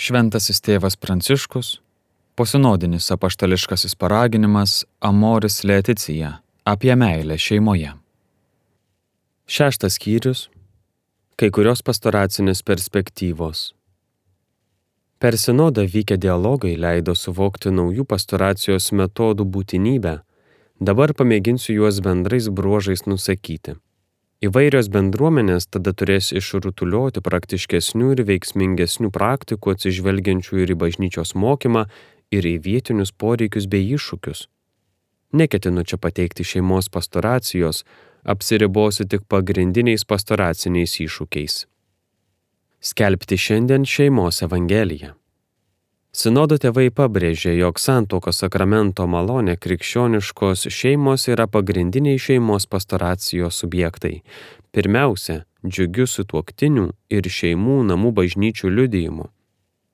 Šventasis tėvas Pranciškus, posinodinis apaštališkasis paraginimas Amoris Laetitia apie meilę šeimoje. 6 skyrius. Kai kurios pastoracinės perspektyvos. Per sinodą vykę dialogai leido suvokti naujų pastoracijos metodų būtinybę. Dabar pamėginsiu juos bendrais bruožais nusakyti. Įvairios bendruomenės tada turės išrutulioti praktiškesnių ir veiksmingesnių praktikų atsižvelgiančių ir į bažnyčios mokymą, ir į vietinius poreikius bei iššūkius. Neketinu čia pateikti šeimos pastoracijos, apsiribosiu tik pagrindiniais pastoraciniais iššūkiais. Skelbti šiandien šeimos evangeliją. Sinodo tėvai pabrėžė, jog santuokos sakramento malonė krikščioniškos šeimos yra pagrindiniai šeimos pastoracijos subjektai. Pirmiausia, džiugiu sutuoktinių ir šeimų namų bažnyčių liudijimu.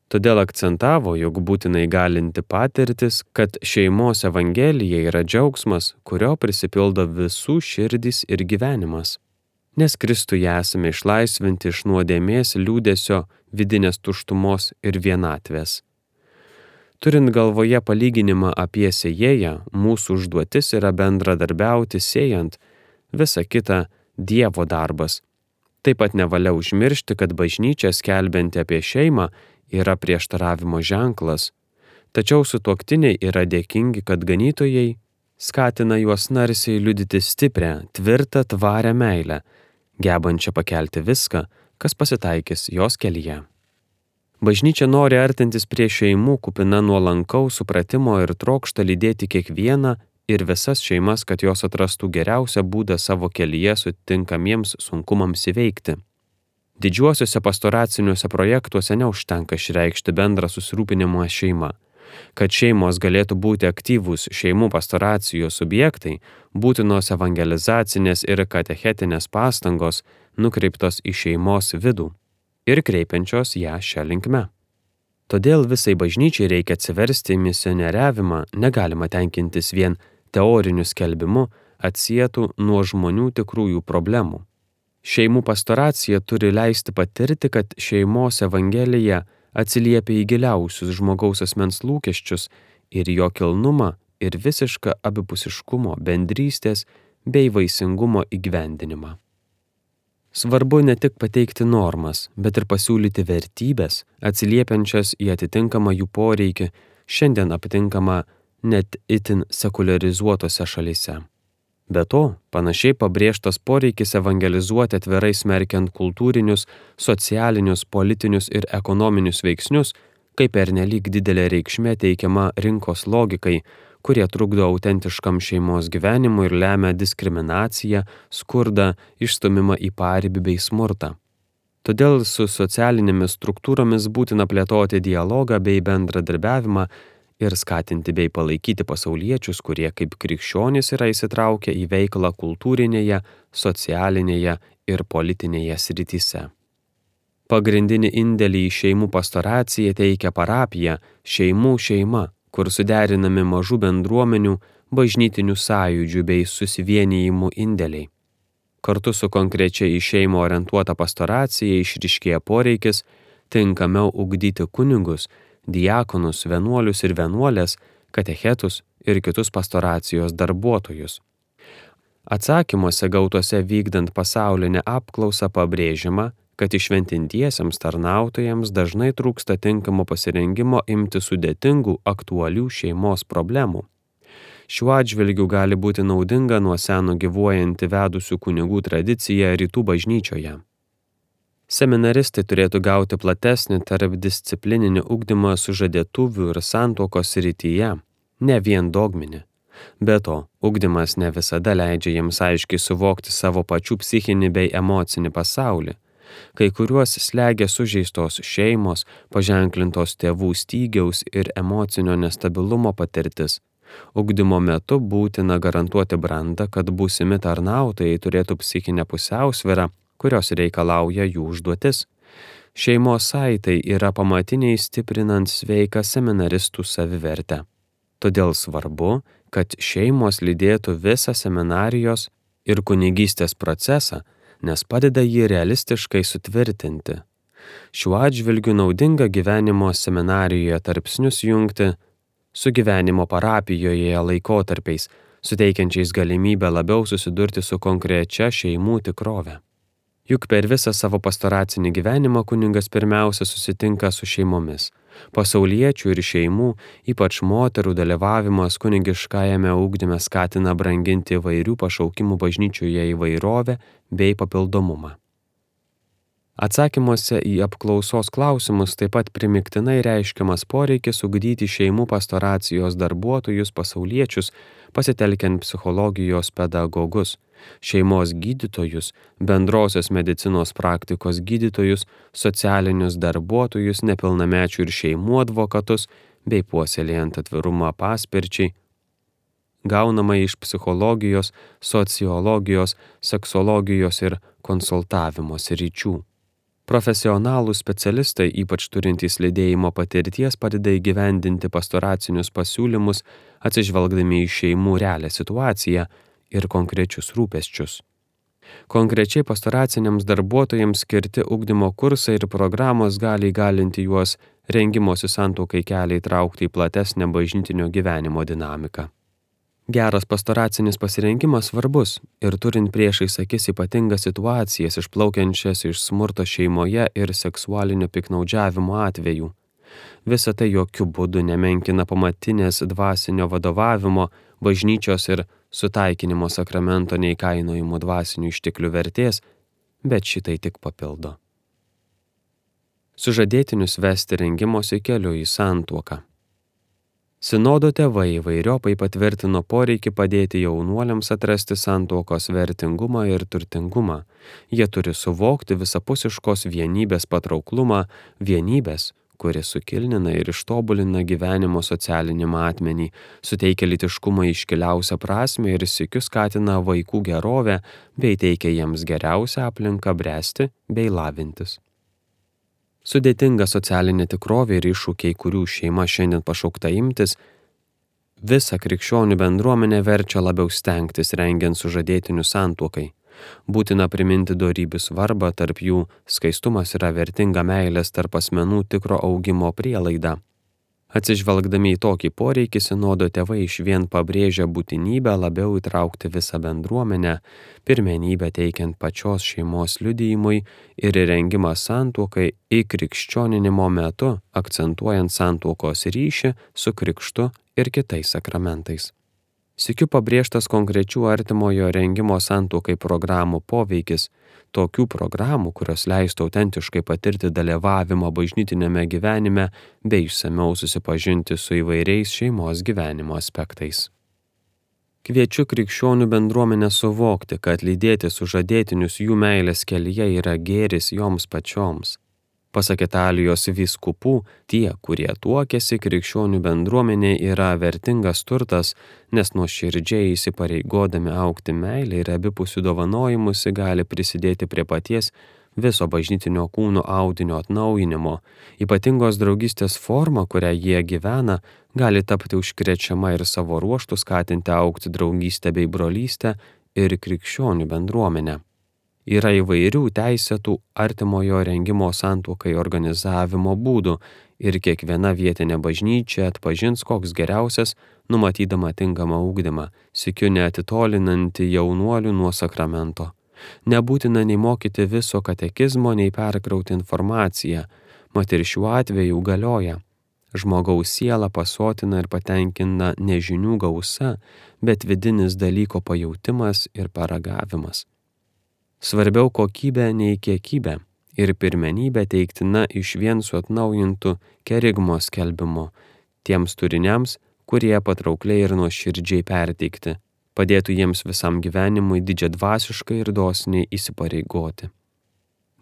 Todėl akcentavo, jog būtinai galinti patirtis, kad šeimos evangelija yra džiaugsmas, kurio prisipildo visų širdys ir gyvenimas. Nes Kristuje esame išlaisvinti iš nuodėmės, liūdesio, vidinės tuštumos ir vienatvės. Turint galvoje palyginimą apie sėjėją, mūsų užduotis yra bendradarbiauti sėjant, visa kita Dievo darbas. Taip pat nevalia užmiršti, kad bažnyčia skelbianti apie šeimą yra prieštaravimo ženklas, tačiau sutuoktiniai yra dėkingi, kad ganytojai skatina juos narsiai liudyti stiprią, tvirtą, tvarią meilę, gebančią pakelti viską, kas pasitaikys jos kelyje. Bažnyčia nori artintis prie šeimų kupina nuolankaus supratimo ir trokšta lydėti kiekvieną ir visas šeimas, kad jos atrastų geriausią būdą savo kelyje sutinkamiems sunkumams įveikti. Didžiuosiuose pastoraciniuose projektuose neužtenka išreikšti bendrą susirūpinimą šeima. Kad šeimos galėtų būti aktyvūs šeimų pastoracijos subjektai, būtinos evangelizacinės ir katechetinės pastangos nukreiptos į šeimos vidų ir kreipiančios ją šią linkme. Todėl visai bažnyčiai reikia atsiversti į misionieriavimą, negalima tenkintis vien teoriniu skelbimu, atsietų nuo žmonių tikrųjų problemų. Šeimų pastoracija turi leisti patirti, kad šeimos evangelija atsiliepia į giliausius žmogaus asmens lūkesčius ir jo kilnumą ir visišką abipusiškumo, bendrystės bei vaisingumo įgyvendinimą. Svarbu ne tik pateikti normas, bet ir pasiūlyti vertybės, atsiliepiančias į atitinkamą jų poreikį, šiandien aptinkamą net itin sekularizuotose šalyse. Be to, panašiai pabrėžtas poreikis evangelizuoti atvirai smerkiant kultūrinius, socialinius, politinius ir ekonominius veiksnius, kaip pernelyg didelė reikšmė teikiama rinkos logikai, kurie trukdo autentiškam šeimos gyvenimui ir lemia diskriminaciją, skurdą, išstumimą į paribį bei smurtą. Todėl su socialinėmis struktūromis būtina plėtoti dialogą bei bendradarbiavimą ir skatinti bei palaikyti pasauliečius, kurie kaip krikščionys yra įsitraukę į veiklą kultūrinėje, socialinėje ir politinėje srityse. Pagrindinį indėlį į šeimų pastoraciją teikia parapija, šeimų šeima, kur suderinami mažų bendruomenių, bažnytinių sąjūdžių bei susivienijimų indėliai. Kartu su konkrečiai į šeimą orientuota pastoracija išryškėja poreikis tinkamiau ugdyti kunigus, diakonus, vienuolius ir vienuolės, katechetus ir kitus pastoracijos darbuotojus. Atsakymuose gautuose vykdant pasaulinę apklausą pabrėžiama, kad išventintiesiems tarnautojams dažnai trūksta tinkamo pasirengimo imti sudėtingų, aktualių šeimos problemų. Šiuo atžvilgiu gali būti naudinga nuo seno gyvuojanti vedusių kunigų tradicija rytų bažnyčioje. Seminaristai turėtų gauti platesnį tarpdisciplininį ugdymą sužadėtuvių ir santuokos srityje, ne vien dogminį. Be to, ugdymas ne visada leidžia jiems aiškiai suvokti savo pačių psichinį bei emocinį pasaulį. Kai kuriuos slegia sužeistos šeimos, paženklintos tėvų stygiaus ir emocinio nestabilumo patirtis. Ugdymo metu būtina garantuoti brandą, kad būsimi tarnautojai turėtų psichinę pusiausvyrą, kurios reikalauja jų užduotis. Šeimos saitai yra pamatiniai stiprinant sveiką seminaristų savivertę. Todėl svarbu, kad šeimos lydėtų visą seminarijos ir kunigystės procesą, nes padeda jį realistiškai sutvirtinti. Šiuo atžvilgiu naudinga gyvenimo seminarijoje tarpsnius jungti su gyvenimo parapijoje laikotarpiais, suteikiančiais galimybę labiau susidurti su konkrečia šeimų tikrove. Juk per visą savo pastoracinį gyvenimą kunigas pirmiausia susitinka su šeimomis. Pasauliečių ir šeimų, ypač moterų dalyvavimas kunigiškajame ugdyme skatina branginti įvairių pašaukimų bažnyčioje įvairovę bei papildomumą. Atsakymuose į apklausos klausimus taip pat primiktinai reiškiamas poreikis ugdyti šeimų pastoracijos darbuotojus pasauliečius, pasitelkiant psichologijos pedagogus, šeimos gydytojus, bendrosios medicinos praktikos gydytojus, socialinius darbuotojus, nepilnamečių ir šeimų advokatus, bei puoselėjant atvirumą paspirčiai, gaunama iš psichologijos, sociologijos, seksologijos ir konsultavimo sričių. Profesionalūs specialistai, ypač turintys lydėjimo patirties, padeda įgyvendinti pastoracinius pasiūlymus, atsižvelgdami į šeimų realią situaciją ir konkrečius rūpesčius. Konkrečiai pastoraciniams darbuotojams skirti ugdymo kursai ir programos gali įgalinti juos rengimosi santuokai kelią įtraukti į platesnę bažnytinio gyvenimo dinamiką. Geras pastoracinis pasirengimas svarbus ir turint priešais akis ypatingas situacijas išplaukiančias iš smurto šeimoje ir seksualinio piktnaudžiavimo atvejų. Visa tai jokių būdų nemenkina pamatinės dvasinio vadovavimo, bažnyčios ir sutaikinimo sakramento neįkainojimų dvasinių išteklių vertės, bet šitai tik papildo. Sužadėtinius vesti rengimosi keliu į santuoką. Sinodo tėvai įvairiopai patvirtino poreikį padėti jaunuoliams atrasti santuokos vertingumą ir turtingumą. Jie turi suvokti visapusiškos vienybės patrauklumą, vienybės, kuri sukilnina ir ištobulina gyvenimo socialinį matmenį, suteikia lytiškumą iškiliausią prasmę ir sykiu skatina vaikų gerovę, bei teikia jiems geriausią aplinką bręsti bei lavintis. Sudėtinga socialinė tikrovė ir iššūkiai, kurių šeima šiandien pašaukta imtis, visą krikščionių bendruomenę verčia labiau stengtis rengiant sužadėtinių santuokai. Būtina priminti dorybių svarbą, tarp jų skaistumas yra vertinga meilės tarp asmenų tikro augimo prielaida. Atsižvelgdami į tokį poreikį, sinodo tėvai išvien pabrėžia būtinybę labiau įtraukti visą bendruomenę, pirmenybę teikiant pačios šeimos liudijimui ir rengimą santuokai įkrikščioninimo metu, akcentuojant santuokos ryšį su krikštu ir kitais sakramentais. Sykiu pabrėžtas konkrečių artimojo rengimo santuokai programų poveikis, tokių programų, kurios leistų autentiškai patirti dalyvavimą bažnytiniame gyvenime bei išsamiau susipažinti su įvairiais šeimos gyvenimo aspektais. Kviečiu krikščionių bendruomenę suvokti, kad lydėti sužadėtinius jų meilės kelyje yra gėris joms pačioms. Pasak Italijos vyskupų, tie, kurie tuokiasi krikščionių bendruomenė, yra vertingas turtas, nes nuoširdžiai įsipareigodami augti meilę ir abipusių dovanojimusi gali prisidėti prie paties viso bažnytinio kūno audinio atnaujinimo. Ypatingos draugystės forma, kurią jie gyvena, gali tapti užkrečiama ir savo ruožtu skatinti augti draugystę bei brolystę ir krikščionių bendruomenę. Yra įvairių teisėtų artimojo rengimo santuokai organizavimo būdų ir kiekviena vietinė bažnyčia atpažins koks geriausias, numatydama tinkamą ugdymą, sykiu neatitolinantį jaunuolių nuo sakramento. Nebūtina nei mokyti viso katekizmo, nei perkrauti informaciją, mat ir šiuo atveju galioja. Žmogaus siela pasotina ir patenkina ne žinių gausa, bet vidinis dalyko pajautimas ir paragavimas. Svarbiau kokybė nei kiekybė ir pirmenybė teiktina išvien su atnaujintu kerigmo skelbimu tiems turiniams, kurie patraukliai ir nuoširdžiai perteikti, padėtų jiems visam gyvenimui didžiadvasiškai ir dosniai įsipareigoti.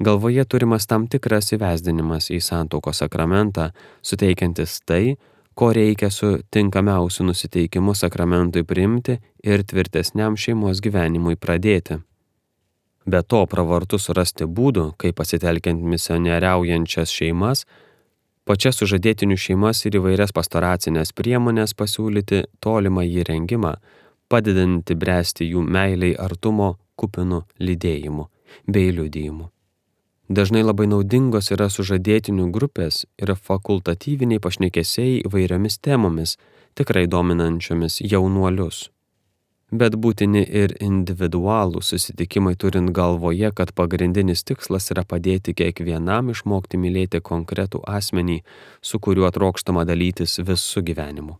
Galvoje turimas tam tikras įvesdinimas į santuokos sakramentą, suteikiantis tai, ko reikia su tinkamiausiu nusiteikimu sakramentui priimti ir tvirtesniam šeimos gyvenimui pradėti. Be to, pravartu surasti būdų, kaip pasitelkiant misionieriaujančias šeimas, pačias sužadėtinių šeimas ir įvairias pastoracinės priemonės pasiūlyti tolimą įrengimą, padedantį bręsti jų meiliai artumo kupinų lydėjimu bei liudijimu. Dažnai labai naudingos yra sužadėtinių grupės ir fakultatyviniai pašnekesiai įvairiomis temomis, tikrai dominančiomis jaunuolius. Bet būtini ir individualų susitikimai, turint galvoje, kad pagrindinis tikslas yra padėti kiekvienam išmokti mylėti konkretų asmenį, su kuriuo trokštama dalytis visų gyvenimu.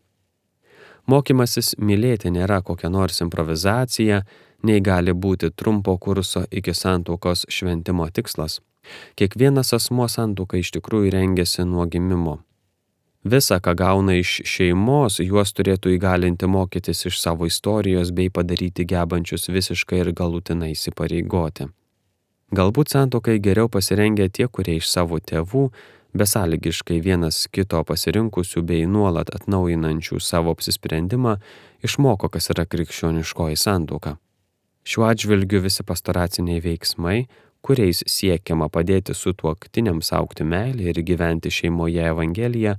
Mokymasis mylėti nėra kokia nors improvizacija, nei gali būti trumpo kurso iki santuokos šventimo tikslas. Kiekvienas asmuo santuokai iš tikrųjų rengiasi nuo gimimo. Visa, ką gauna iš šeimos, juos turėtų įgalinti mokytis iš savo istorijos bei padaryti gebančius visiškai ir galutinai įsipareigoti. Galbūt santuokai geriau pasirengę tie, kurie iš savo tėvų, besąlygiškai vienas kito pasirinkusių bei nuolat atnaujinančių savo apsisprendimą, išmoko, kas yra krikščioniškoji santuoka. Šiuo atžvilgiu visi pastoraciniai veiksmai, kuriais siekiama padėti sutuoktiniams augti meilę ir gyventi šeimoje Evangeliją,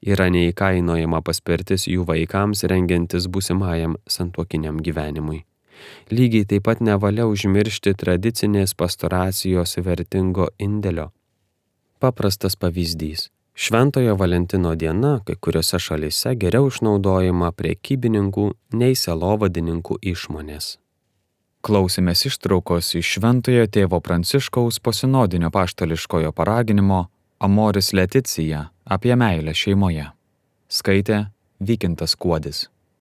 yra neįkainojama paspirtis jų vaikams rengiantis būsimajam santuokiniam gyvenimui. Lygiai taip pat nevalia užmiršti tradicinės pastoracijos vertingo indėlio. Paprastas pavyzdys. Šventojo Valentino diena kai kuriuose šalyse geriau išnaudojama prekybininkų nei sielovadininkų išmonės. Klausėmės ištraukos iš Šventojo tėvo Pranciškaus posinodinio apaštališkojo paraginimo Amoris Laetitia apie meilę šeimoje. Skaitė Vykintas Kuodis.